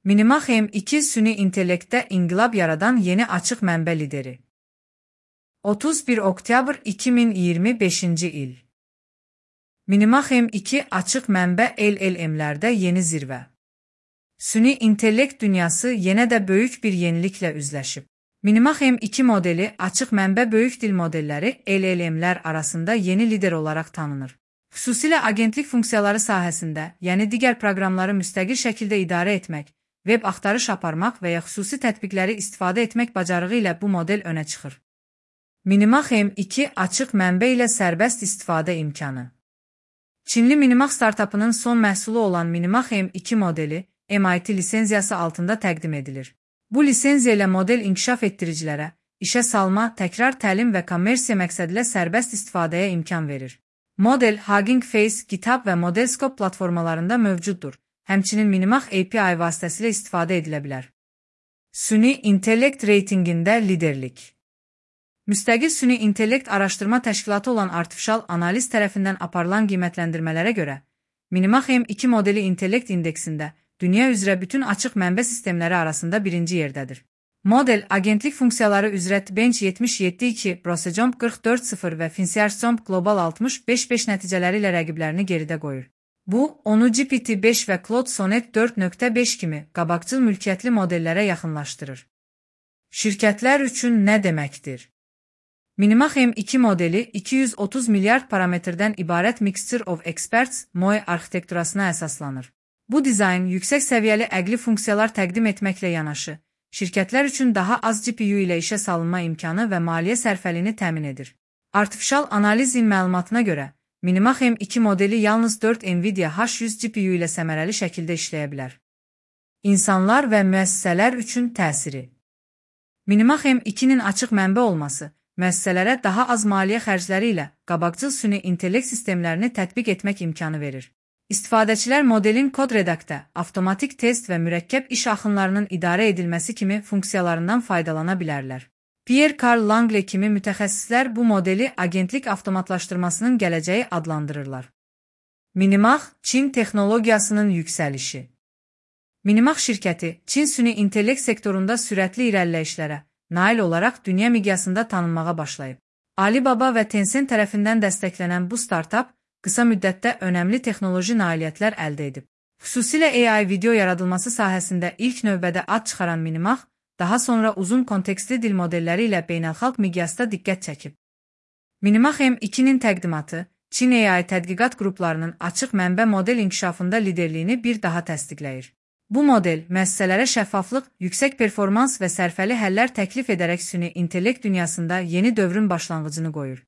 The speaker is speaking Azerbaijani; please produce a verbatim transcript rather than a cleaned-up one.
Minimax M iki süni intellektdə inqilab yaradan yeni açıq mənbə lideri. otuz bir oktyabr iki min iyirmi beşinci il. Minimax M iki açıq mənbə L L M'lərdə yeni zirvə. Süni intellekt dünyası yenə də böyük bir yeniliklə üzləşib. Minimax M iki modeli açıq mənbə böyük dil modelləri L L M'lər arasında yeni lider olaraq tanınır. Xüsusilə agentlik funksiyaları sahəsində, yəni digər proqramları müstəqil şəkildə idarə etmək, web axtarış aparmaq və ya xüsusi tətbiqləri istifadə etmək bacarığı ilə bu model önə çıxır. Minimax M iki açıq mənbə ilə sərbəst istifadə imkanı. Çinli Minimax startapının son məhsulu olan Minimax M iki modeli M I T lisenziyası altında təqdim edilir. Bu lisenziya ilə model inkişaf etdiricilərə, işə salma, təkrar təlim və kommersiya məqsədilə sərbəst istifadəyə imkan verir. Model Hugging Face, GitHub və Modelscope platformalarında mövcuddur. Həmçinin Minimax A P I vasitəsilə istifadə edilə bilər. Süni intellekt reytinqində liderlik. Müstəqil süni intellekt araşdırma təşkilatı olan Artificial Analiz tərəfindən aparılan qiymətləndirmələrə görə, Minimax M iki modeli intellekt indeksində dünya üzrə bütün açıq mənbə sistemləri arasında birinci yerdədir. Model, agentlik funksiyaları üzrə Bench yetmiş yeddi iki, Brosejomp qırx dörd sıfır və Finsearch Global altmış beş beş nəticələri ilə rəqiblərini geridə qoyur. Bu, onu G P T beş və Claude Sonnet dörd nöqtə beş kimi qabaqcıl mülkiyyətli modellərə yaxınlaşdırır. Şirkətlər üçün nə deməkdir? Minimax M iki modeli iki yüz otuz milyard parametrdən ibarət Mixture of Experts M O E arxitekturasına əsaslanır. Bu dizayn yüksək səviyyəli əqli funksiyalar təqdim etməklə yanaşı, şirkətlər üçün daha az G P U ilə işə salınma imkanı və maliyyə sərfəliyini təmin edir. Artificial Analizin məlumatına görə, Minimax M iki modeli yalnız dörd Nvidia H yüz G P U ilə səmərəli şəkildə işləyə bilər. İnsanlar və müəssisələr üçün təsiri. Minimax M ikinin açıq mənbə olması, müəssisələrə daha az maliyyə xərcləri ilə qabaqcıl süni intellekt sistemlərini tətbiq etmək imkanı verir. İstifadəçilər modelin kod redaktə, avtomatik test və mürəkkəb iş axınlarının idarə edilməsi kimi funksiyalarından faydalana bilərlər. Pierre Carl Langley kimi mütəxəssislər bu modeli agentlik avtomatlaşdırmasının gələcəyi adlandırırlar. Minimax, Çin texnologiyasının yüksəlişi. Minimax şirkəti, Çin süni intellekt sektorunda sürətli irəliləyişlərə nail olaraq dünya miqyasında tanınmağa başlayıb. Alibaba və Tencent tərəfindən dəstəklənən bu startap, qısa müddətdə önəmli texnoloji nailiyyətlər əldə edib. Xüsusilə A I video yaradılması sahəsində ilk növbədə ad çıxaran Minimax, daha sonra uzun kontekstli dil modelləri ilə beynəlxalq miqyasda diqqət çəkib. Minimax M ikinin təqdimatı, Çin A I tədqiqat qruplarının açıq mənbə model inkişafında liderliyini bir daha təsdiqləyir. Bu model, müəssisələrə şəffaflıq, yüksək performans və sərfəli həllər təklif edərək süni intellekt dünyasında yeni dövrün başlanğıcını qoyur.